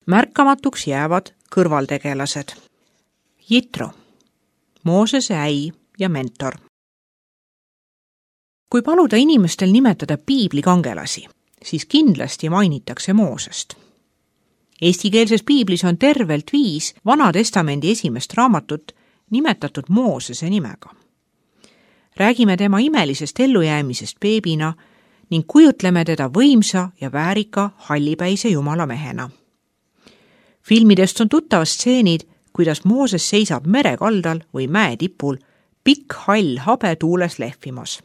Märkamatuks jäävad kõrvaltegelased. Jitro, Moosese äi ja mentor. Kui paluda inimestel nimetada piibli kangelasi, siis kindlasti mainitakse Moosest. Eestikeelses piiblis on tervelt 5 Vana Testamendi esimest raamatut nimetatud Moosese nimega. Räägime tema imelisest ellujäämisest beebina ning kujutleme teda võimsa ja väärika hallipäise jumala mehena. Filmidest on tuttavad stseenid, kuidas Mooses seisab merekaldal või mäetipul, pikk hall habe tuules lehvimas.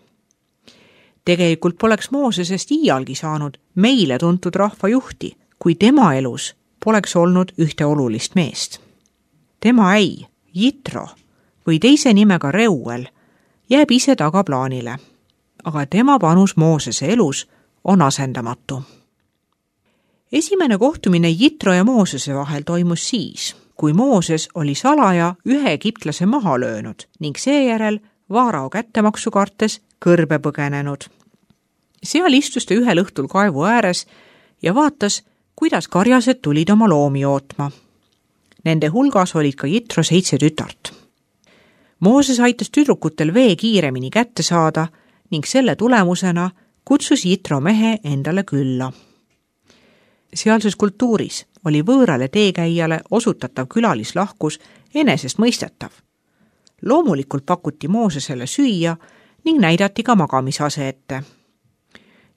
Tegelikult poleks Moosesest iialgi saanud meile tuntud rahvajuhti, kui tema elus poleks olnud ühte olulist meest. Tema äi, Jitro või teise nimega Reuel, jääb ise tagaplaanile, aga tema panus Moosese elus on asendamatu. Esimene kohtumine Jitro ja Moosese vahel toimus siis, kui Mooses oli salaja ühe egiptlase maha löönud ning seejärel Vaarao kättemaksu kartes kõrbe põgenenud. Seal istus ta ühel õhtul kaevu ääres ja vaatas, kuidas karjased tulid oma loomi ootma. Nende hulgas olid ka Jitro 7 tütart. Mooses aitas tüdrukutel vee kiiremini kätte saada ning selle tulemusena kutsus Jitro mehe endale külla. Sealses kultuuris oli võõrale teekäijale osutatav külalislahkus enesestmõistetav. Loomulikult pakuti Moosesele süüa ning näidati ka magamisase ette.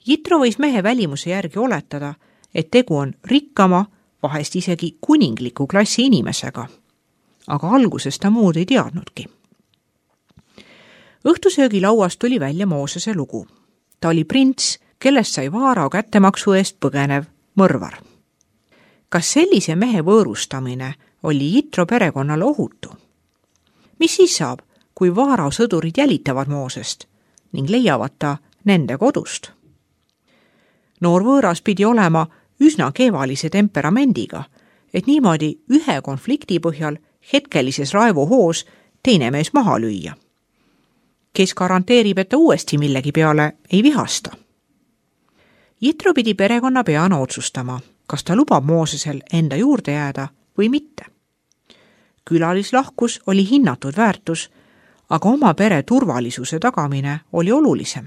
Jitro võis mehe välimuse järgi oletada, et tegu on rikkama, vahest isegi kuningliku klassi inimesega. Aga alguses ta muud ei teadnudki. Õhtusöögilauast tuli välja Moosese lugu. Ta oli prints, kellest sai Vaarao kättemaksu eest põgenev mõrvar. Kas sellise mehe võõrustamine oli Jitro perekonnale ohutu? Mis siis saab, kui Vaarao sõdurid jälitavad Moosest ning leiavad ta nende kodust? Noor võõras pidi olema üsna keevalise temperamendiga, et niimoodi ühe konflikti põhjal hetkelises raivohoos teine mees maha lüüa. Kes garanteerib, et ta uuesti millegi peale ei vihasta? Jitro pidi perekonna peana otsustama, kas ta lubab Moosesel enda juurde jääda või mitte. Külalislahkus oli hinnatud väärtus, aga oma pere turvalisuse tagamine oli olulisem.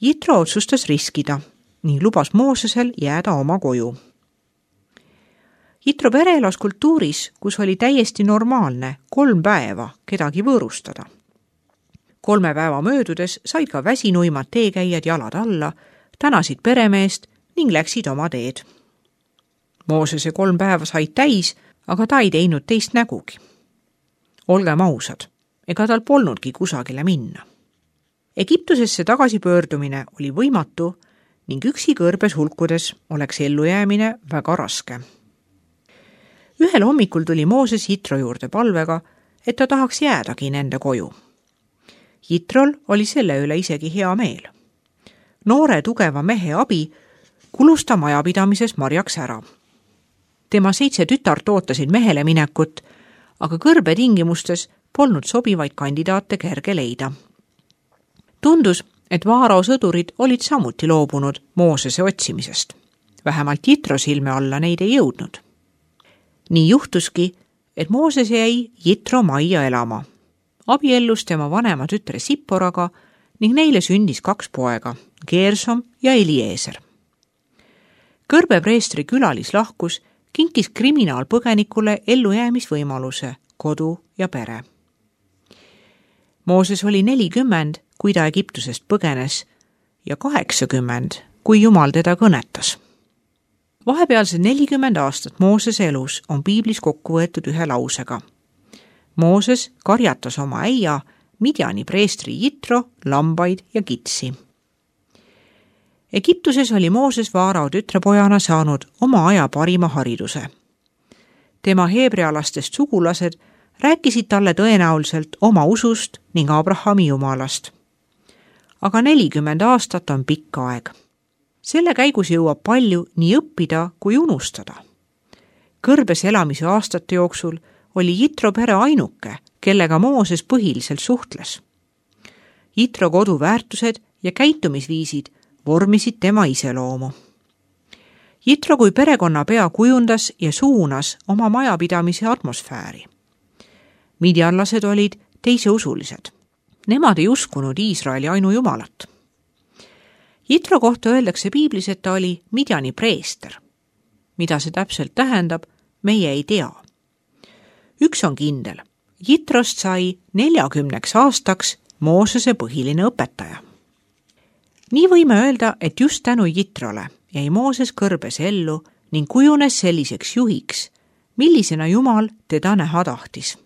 Jitro otsustas riskida ning lubas Moosesel jääda oma koju. Jitro pere elas kultuuris, kus oli täiesti normaalne 3 päeva kedagi võõrustada. 3 päeva möödudes said ka väsinuimad teekäijad jalad alla, tänasid peremeest ning läksid oma teed. Moosese 3 päeva said täis, aga ta ei teinud teist nägugi. Olgem ausad, ega tal polnudki kusagile minna. Egiptusesse tagasipöördumine oli võimatu ning üksi kõrbes hulkudes oleks ellujäämine väga raske. Ühel hommikul tuli Mooses Jitro juurde palvega, et ta tahaks jäädagi nende koju. Jitrol oli selle üle isegi hea meel. Noore tugeva mehe abi kulus ta majapidamises marjaks ära. Tema 7 tütart ootasid mehele minekut, aga kõrbe tingimustes polnud sobivaid kandidaate kerge leida. Tundus, et Vaarao sõdurid olid samuti loobunud Moosese otsimisest. Vähemalt Jitro silme alla neid ei jõudnud. Nii juhtuski, et Mooses jäi Jitro majja elama. Abiellus tema vanema tütre Sipporaga ning neile sündis 2 poega, Gersom ja Eliezer. Kõrbepreestri külalislahkus kinkis kriminaalpõgenikule ellujäämisvõimaluse, kodu ja pere. Mooses oli 40, kui ta Egiptusest põgenes ja 80, kui Jumal teda kõnetas. Vahepealsed 40 aastat Moosese elus on piiblis kokku võetud ühe lausega. Mooses karjatas oma äia, Midjani preestri Jitro, lambaid ja kitsi. Egiptuses oli Mooses Vaarao tütrepojana saanud oma aja parima hariduse. Tema heebrealastest sugulased rääkisid talle tõenäoliselt oma usust ning Abrahami jumalast. Aga 40 aastat on pikk aeg. Selle käigus jõuab palju nii õppida kui unustada. Kõrbes elamise aastate jooksul oli Jitro pere ainuke, kellega Mooses põhiliselt suhtles. Jitro kodu väärtused ja käitumisviisid vormisid tema iseloomu. Jitro kui perekonnapea kujundas ja suunas oma majapidamise atmosfääri. Midjanlased olid teiseusulised. Nemad ei uskunud Iisraeli ainujumalat. Jitro kohta öeldakse piiblis, et ta oli Midjani preester. Mida see täpselt tähendab, meie ei tea. Üks on kindel. Jitrost sai 40 aastaks Moosese põhiline õpetaja. Nii võime öelda, et just tänu Jitrole jäi Mooses kõrbes ellu ning kujunes selliseks juhiks, millisena Jumal teda näha tahtis.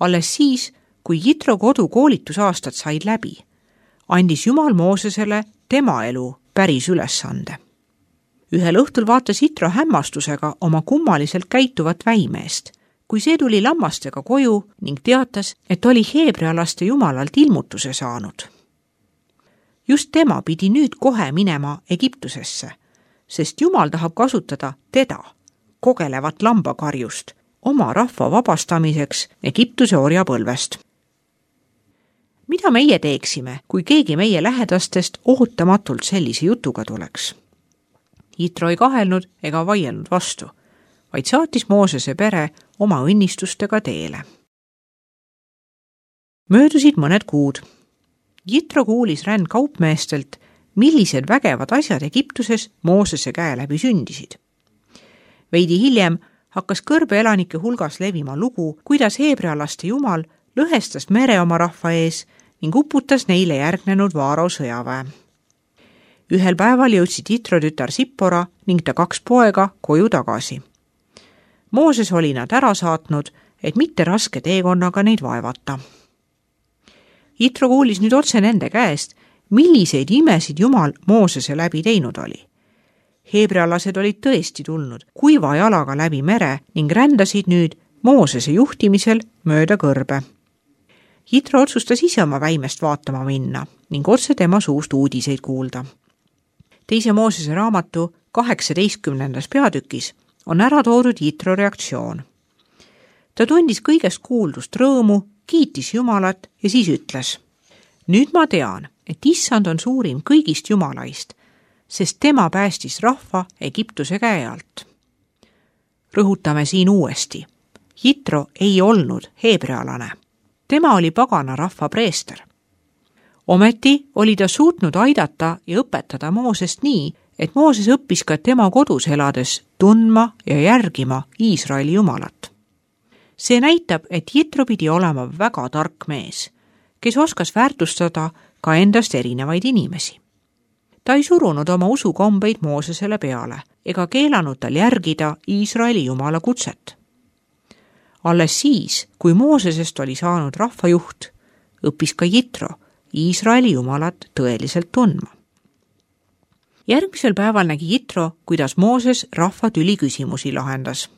Alles siis, kui Jitro kodukoolitusaastad said läbi, andis Jumal Moosesele tema elu päris ülesande. Ühel õhtul vaatas Jitro hämmastusega oma kummaliselt käituvat väimeest, kui see tuli lammastega koju ning teatas, et oli heebrealaste jumalalt ilmutuse saanud. Just tema pidi nüüd kohe minema Egiptusesse, sest Jumal tahab kasutada teda, kogelevat lambakarjust, oma rahva vabastamiseks Egiptuse orjapõlvest. Mida meie teeksime, kui keegi meie lähedastest ootamatult sellise jutuga tuleks? Jitro ei kahelnud ega vaielnud vastu, vaid saatis Moosese pere oma õnnistustega teele. Möödusid mõned kuud. Jitro kuulis rändkaupmeestelt, millised vägevad asjad Egiptuses Moosese käe läbi sündisid. Veidi hiljem hakkas kõrbe elanike hulgas levima lugu, kuidas heebrealaste jumal lõhestas mere oma rahva ees ning uputas neile järgnenud Vaaro sõjaväe. Ühel päeval jõudsid Jitro tütar Sippora ning ta 2 poega koju tagasi. Mooses oli nad ära saatnud, et mitte raske teekonnaga neid vaevata. Jitro kuulis nüüd otse nende käest, milliseid imesid Jumal Moosese läbi teinud oli. Heebrealased olid tõesti tulnud kuiva jalaga läbi mere ning rändasid nüüd Moosese juhtimisel mööda kõrbe. Jitro otsustas ise oma väimest vaatama minna ning otse tema suust uudiseid kuulda. 2. Moosese raamatu 18. peatükis on ära toodud Jitro reaktsioon. Ta tundis kõigest kuuldust rõõmu, kiitis Jumalat ja siis ütles: nüüd ma tean, et Issand on suurim kõigist Jumalaist, sest tema päästis rahva Egiptuse käe alt. Rõhutame siin uuesti. Jitro ei olnud heebrealane. Tema oli pagana rahva preester. Ometi oli ta suutnud aidata ja õpetada Moosest nii, et Mooses õppis ka tema kodus elades tundma ja järgima Iisraeli jumalat. See näitab, et Jitro pidi olema väga tark mees, kes oskas väärtustada ka endast erinevaid inimesi. Ta ei surunud oma usukombeid Moosesele peale ega keelanud tal järgida Iisraeli jumala kutset. Alles siis, kui Moosesest oli saanud rahvajuht, õppis ka Jitro Iisraeli jumalat tõeliselt tundma. Järgmisel päeval nägi Jitro, kuidas Mooses rahva tüliküsimusi lahendas.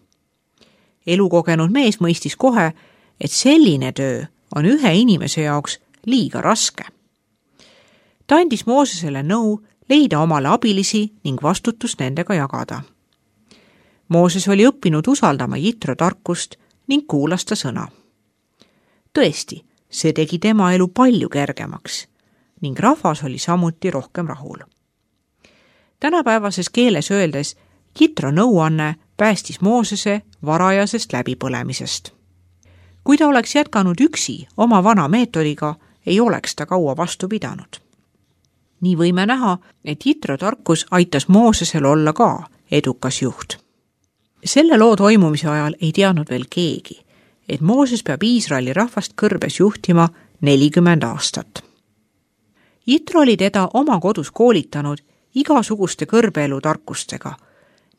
Elukogenud mees mõistis kohe, et selline töö on ühe inimese jaoks liiga raske. Ta andis Moosesele nõu leida omale abilisi ning vastutust nendega jagada. Mooses oli õppinud usaldama Jitro tarkust ning kuulas ta sõna. Tõesti, see tegi tema elu palju kergemaks ning rahvas oli samuti rohkem rahul. Tänapäevases keeles öeldes Jitro nõuanne päästis Moosese varajasest läbipõlemisest. Kui ta oleks jätkanud üksi oma vana meetodiga, ei oleks ta kaua vastu pidanud. Nii võime näha, et Jitro tarkus aitas Moosesel olla ka edukas juht. Selle loo toimumise ajal ei teadnud veel keegi, et Mooses peab Iisraeli rahvast kõrbes juhtima 40 aastat. Jitro oli teda oma kodus koolitanud igasuguste kõrbeelu tarkustega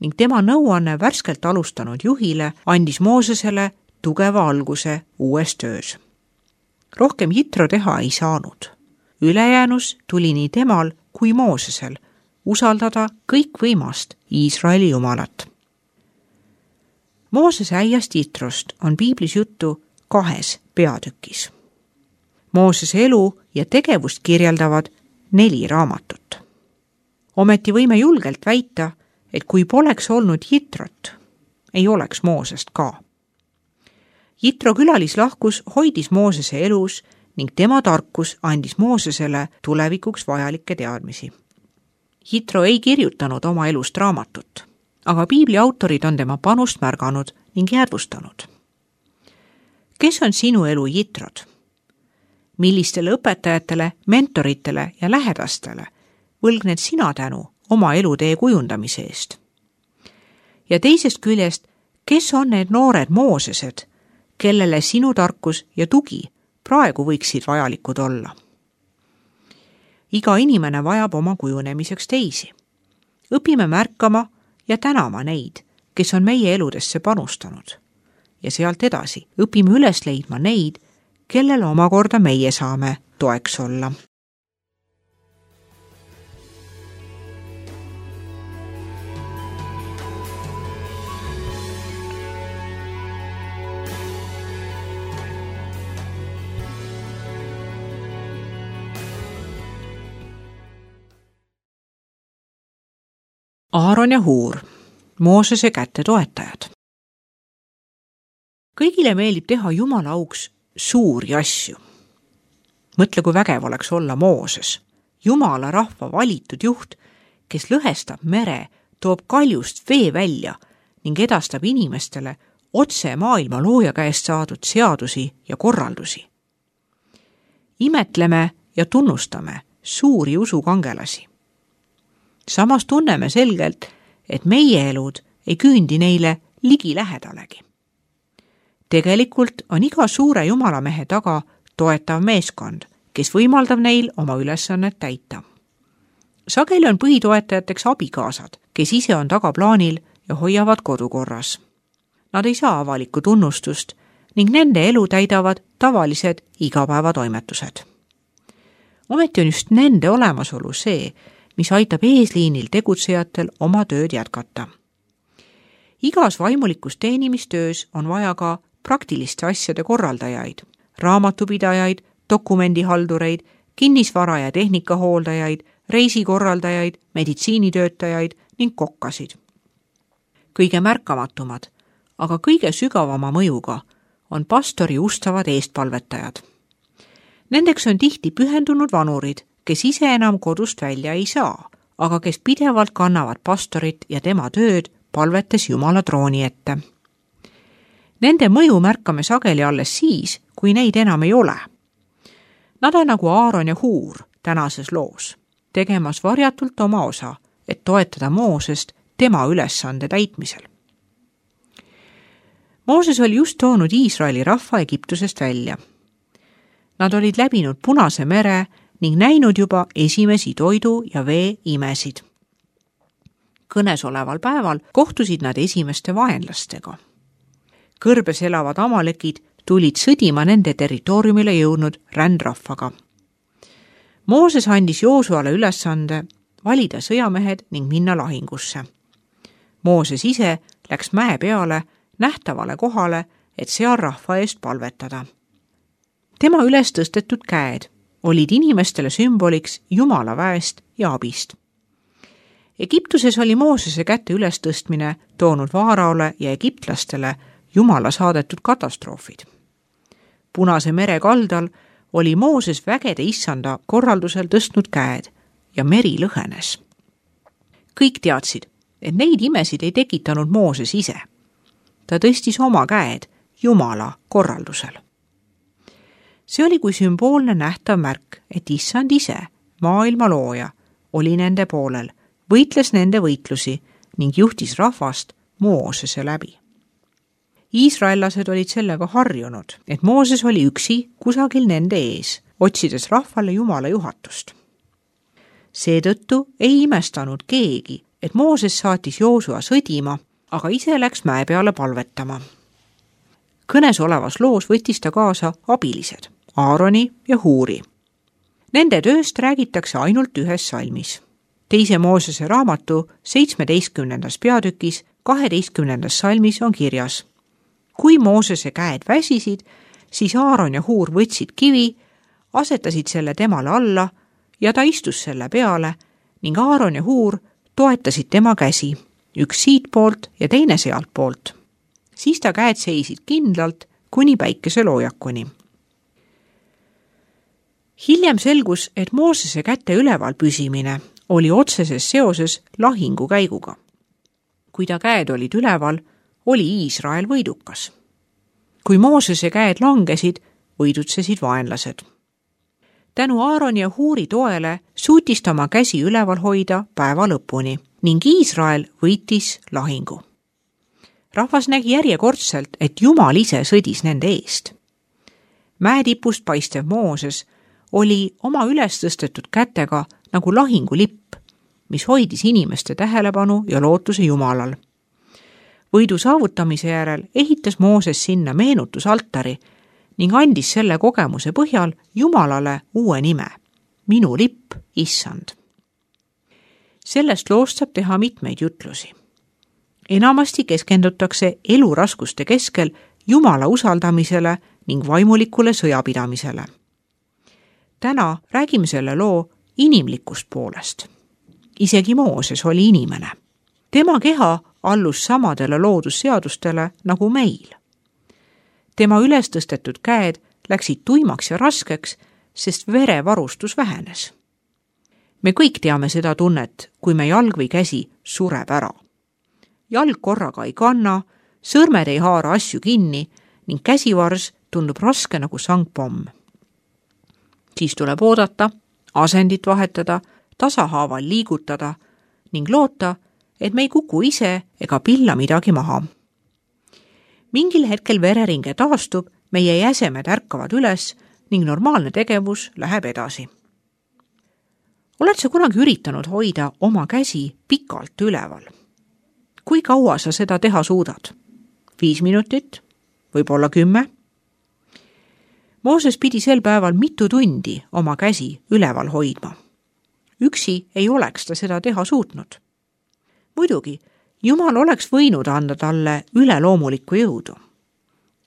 ning tema nõuanne värskelt alustanud juhile andis Moosesele tugeva alguse uues töös. Rohkem Jitro teha ei saanud. Ülejäänus tuli nii temal kui Moosesel usaldada kõikvõimast Iisraeli jumalat. Moosese äiast Jitrost on piiblis juttu 2 peatükis. Moosese elu ja tegevust kirjeldavad 4 raamatut. Ometi võime julgelt väita, et kui poleks olnud Jitrot, ei oleks Moosest ka. Jitro külalislahkus hoidis Moosese elus ning tema tarkus andis Moosesele tulevikuks vajalikke teadmisi. Jitro ei kirjutanud oma elust raamatut, aga piibli autorid on tema panust märganud ning jäädvustanud. Kes on sinu elu Jitrod? Millistele õpetajatele, mentoritele ja lähedastele võlgned sina tänu oma elutee kujundamise eest? Ja teisest küljest, kes on need noored Moosesed, kellele sinu tarkus ja tugi praegu võiksid vajalikud olla? Iga inimene vajab oma kujunemiseks teisi. Õpime märkama ja tänama neid, kes on meie eludesse panustanud. Ja sealt edasi õpime üles leidma neid, kellele omakorda meie saame toeks olla. Aaron ja Huur, Moosese kätte toetajad. Kõigile meeldib teha Jumala auks suuri asju. Mõtle, kui vägev oleks olla Mooses, Jumala rahva valitud juht, kes lõhestab mere, toob kaljust vee välja ning edastab inimestele otse maailma looja käest saadud seadusi ja korraldusi. Imetleme ja tunnustame suuri usukangelasi. Samas tunneme selgelt, et meie elud ei küündi neile ligi lähedalegi. Tegelikult on iga suure jumalamehe taga toetav meeskond, kes võimaldab neil oma ülesannet täita. Sageli on põhitoetajateks abikaasad, kes ise on tagaplaanil ja hoiavad kodukorras. Nad ei saa avalikku tunnustust ning nende elu täidavad tavalised igapäevatoimetused. Ometi on just nende olemasolu see, mis aitab eesliinil tegutsejatel oma tööd jätkata. Igas vaimulikus teenimistöös on vaja ka praktiliste asjade korraldajaid, raamatupidajaid, dokumendihaldureid, kinnisvara- ja tehnikahooldajaid, reisikorraldajaid, meditsiinitöötajaid ning kokkasid. Kõige märkamatumad, aga kõige sügavama mõjuga on pastori ustavad eestpalvetajad. Nendeks on tihti pühendunud vanurid, kes ise enam kodust välja ei saa, aga kes pidevalt kannavad pastorit ja tema tööd palvetes Jumala trooni ette. Nende mõju märkame sageli alles siis, kui neid enam ei ole. Nad on nagu Aaron ja Huur tänases loos, tegemas varjatult oma osa, et toetada Moosest tema ülesande täitmisel. Mooses oli just toonud Iisraeli rahva Egiptusest välja. Nad olid läbinud Punase mere ning näinud juba esimesi toidu ja vee imesid. Kõnes oleval päeval kohtusid nad esimeste vaenlastega. Kõrbes elavad amalekid tulid sõdima nende territooriumile jõudnud rändrahvaga. Mooses andis Joosuale ülesande valida sõjamehed ning minna lahingusse. Mooses ise läks mäe peale nähtavale kohale, et seal rahva eest palvetada. Tema üles tõstetud käed olid inimestele sümboliks Jumala väest ja abist. Egiptuses oli Moosese kätte ülestõstmine toonud Vaaraole ja egiptlastele Jumala saadetud katastroofid. Punase mere kaldal oli Mooses vägede issanda korraldusel tõstnud käed ja meri lõhenes. Kõik teadsid, et neid imesid ei tekitanud Mooses ise. Ta tõstis oma käed Jumala korraldusel. See oli kui sümboolne nähtav märk, et issand ise, maailma looja, oli nende poolel, võitles nende võitlusi ning juhtis rahvast Moosese läbi. Iisraellased olid sellega harjunud, et Mooses oli üksi kusagil nende ees, otsides rahvale Jumala juhatust. Seetõttu ei imestanud keegi, et Mooses saatis Joosua sõdima, aga ise läks mäe peale palvetama. Kõnes olevas loos võttis ta kaasa abilised, Aaroni ja Huuri. Nende tööst räägitakse ainult ühes salmis. 2. Moosese raamatu 17. peatükis 12. salmis on kirjas: kui Moosese käed väsisid, siis Aaron ja Huur võtsid kivi, asetasid selle temale alla ja ta istus selle peale ning Aaron ja Huur toetasid tema käsi, üks siitpoolt ja teine sealtpoolt. Siis ta käed seisid kindlalt kuni päikeseloojakuni. Hiljem selgus, et Moosese käte üleval püsimine oli otseses seoses lahingu käiguga. Kui ta käed olid üleval, oli Iisrael võidukas. Kui Moosese käed langesid, võidutsesid vaenlased. Tänu Aaroni ja Huuri toele suutis ta oma käsi üleval hoida päeva lõpuni ning Iisrael võitis lahingu. Rahvas nägi järjekordselt, et Jumal ise sõdis nende eest. Mäetipust paistev Mooses oli oma üles tõstetud kätega nagu lahingulipp, mis hoidis inimeste tähelepanu ja lootuse Jumalal. Võidu saavutamise järel ehitas Mooses sinna meenutusaltari ning andis selle kogemuse põhjal Jumalale uue nime, minu lipp, Issand. Sellest loost saab teha mitmeid jutlusi. Enamasti keskendutakse eluraskuste keskel Jumala usaldamisele ning vaimulikule sõjapidamisele. Täna räägime selle loo inimlikust poolest. Isegi Mooses oli inimene. Tema keha allus samadele loodusseadustele nagu meil. Tema üles tõstetud käed läksid tuimaks ja raskeks, sest verevarustus vähenes. Me kõik teame seda tunnet, kui me jalg või käsi sureb ära. Jalg korraga ei kanna, sõrmed ei haara asju kinni ning käsivars tundub raske nagu sangpomm. Siis tuleb oodata, asendit vahetada, tasahaaval liigutada ning loota, et me ei kuku ise ega pilla midagi maha. Mingil hetkel vereringe taastub, meie jäsemed ärkavad üles ning normaalne tegevus läheb edasi. Oled sa kunagi üritanud hoida oma käsi pikalt üleval? Kui kaua sa seda teha suudad? 5 minutit? Võib-olla 10? Mooses pidi sel päeval mitu tundi oma käsi üleval hoidma. Üksi ei oleks ta seda teha suutnud. Muidugi, Jumal oleks võinud anda talle üleloomulikku jõudu.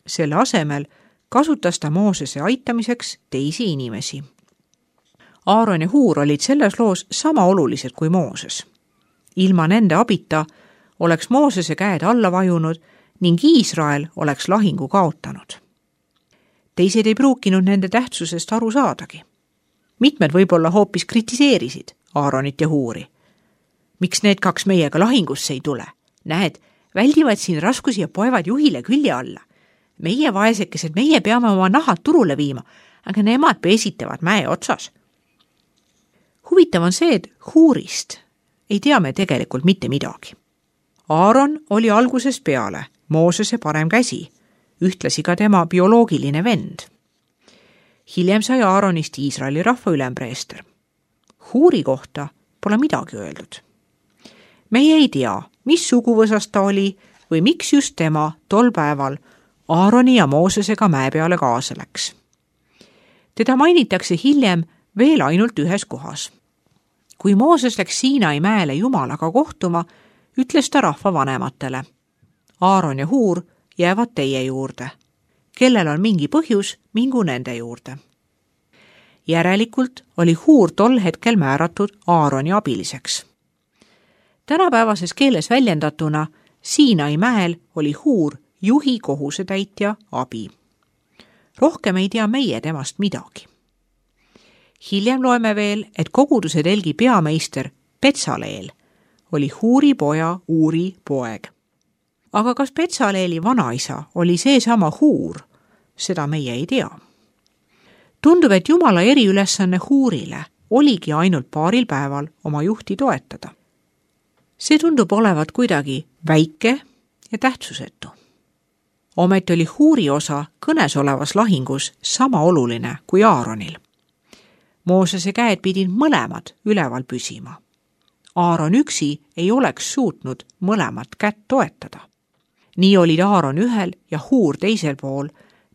Selle asemel kasutas ta Moosese aitamiseks teisi inimesi. Aaron ja Huur olid selles loos sama olulised kui Mooses. Ilma nende abita oleks Moosese käed alla vajunud ning Iisrael oleks lahingu kaotanud. Teised ei pruukinud nende tähtsusest aru saadagi. Mitmed võib-olla hoopis kritiseerisid Aaronit ja Huuri. Miks need 2 meiega lahingusse ei tule? Näed, väldivad siin raskusi ja poevad juhile külje alla. Meie vaesekesed, meie peame oma nahad turule viima, aga nemad peesitavad mäe otsas. Huvitav on see, et Huurist ei tea me tegelikult mitte midagi. Aaron oli algusest peale Moosese parem käsi, ühtlasi ka tema bioloogiline vend. Hiljem sai Aaronist Iisraeli rahva ülempreester. Huuri kohta pole midagi öeldud. Meie ei tea, mis suguvõsast ta oli või miks just tema tol päeval Aaroni ja Moosesega mäe peale kaasa läks. Teda mainitakse hiljem veel ainult ühes kohas. Kui Mooses läks Siinai mäele Jumalaga kohtuma, ütles ta rahva vanematele: Aaron ja Huur jäävad teie juurde. Kellel on mingi põhjus, mingu nende juurde. Järelikult oli Huur tol hetkel määratud Aaroni abiliseks. Tänapäevases keeles väljendatuna Siinai mäel oli Huur juhi kohusetäitja abi. Rohkem ei tea meie temast midagi. Hiljem loeme veel, et koguduse telgi peameister Petsaleel oli Huuri poja Uuri poeg. Aga kas Petsaleeli vanaisa oli seesama Huur? Seda meie ei tea. Tundub, et Jumala eriülesanne Huurile oligi ainult paaril päeval oma juhti toetada. See tundub olevat kuidagi väike ja tähtsusetu. Ometi oli Huuri osa kõnes olevas lahingus sama oluline kui Aaronil. Moosese käed pidid mõlemad üleval püsima. Aaron üksi ei oleks suutnud mõlemat kätt toetada. Nii olid Aaron ühel ja Huur teisel pool,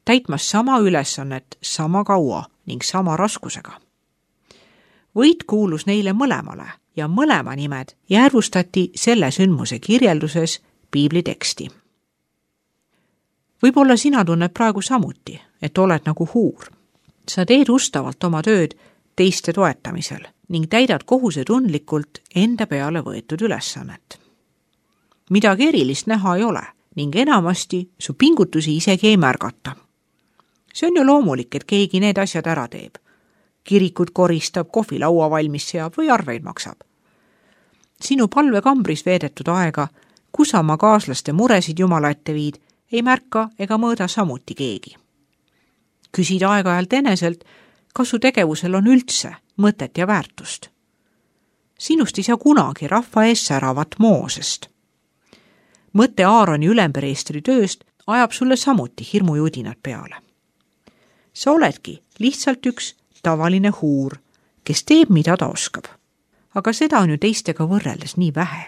täitmas sama ülesannet sama kaua ning sama raskusega. Võit kuulus neile mõlemale ja mõlema nimed jäädvustati selle sündmuse kirjelduses piibli teksti. Võib-olla sina tunned praegu samuti, et oled nagu Huur. Sa teed ustavalt oma tööd teiste toetamisel ning täidad kohusetundlikult enda peale võetud ülesannet. Midagi erilist näha ei ole ning enamasti su pingutusi isegi ei märgata. See on ju loomulik, et keegi need asjad ära teeb. Kirikut koristab, kohvilaua valmis seab või arveid maksab. sinu palvekambris veedetud aega, kus sa oma kaaslaste muresid Jumala ette viid, ei märka ega mõõda samuti keegi. Küsid aeg-ajalt eneselt, kas su tegevusel on üldse mõtet ja väärtust. Sinust ei saa kunagi rahva ees säravat Moosest. Mõte Aaroni ülempreestri tööst ajab sulle samuti hirmujudinad peale. Sa oledki lihtsalt üks tavaline huur, kes teeb, mida ta oskab. Aga seda on ju teistega võrreldes nii vähe.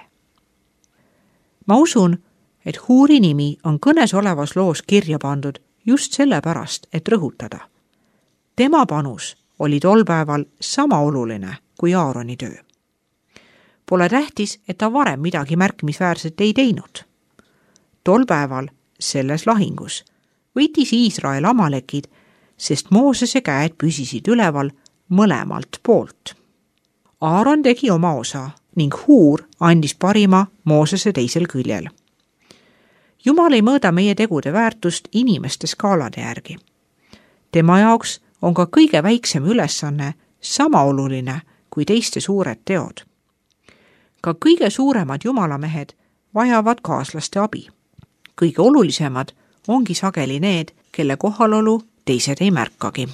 Ma usun, et huuri nimi on kõnes olevas loos kirja pandud just sellepärast, et rõhutada. Tema panus oli tol päeval sama oluline kui Aaroni töö. Pole tähtis, et ta varem midagi märkimisväärset ei teinud. Tol päeval selles lahingus võitis Iisrael Amalekid, sest Moosese käed püsisid üleval mõlemalt poolt. Aaron tegi oma osa ning huur andis parima Moosese teisel küljel. Jumal ei mõõda meie tegude väärtust inimeste skaalade järgi. Tema jaoks on ka kõige väiksem ülesanne sama oluline kui teiste suured teod. Ka kõige suuremad jumalamehed vajavad kaaslaste abi. Kõige olulisemad ongi sageli need, kelle kohalolu teised ei märkagi.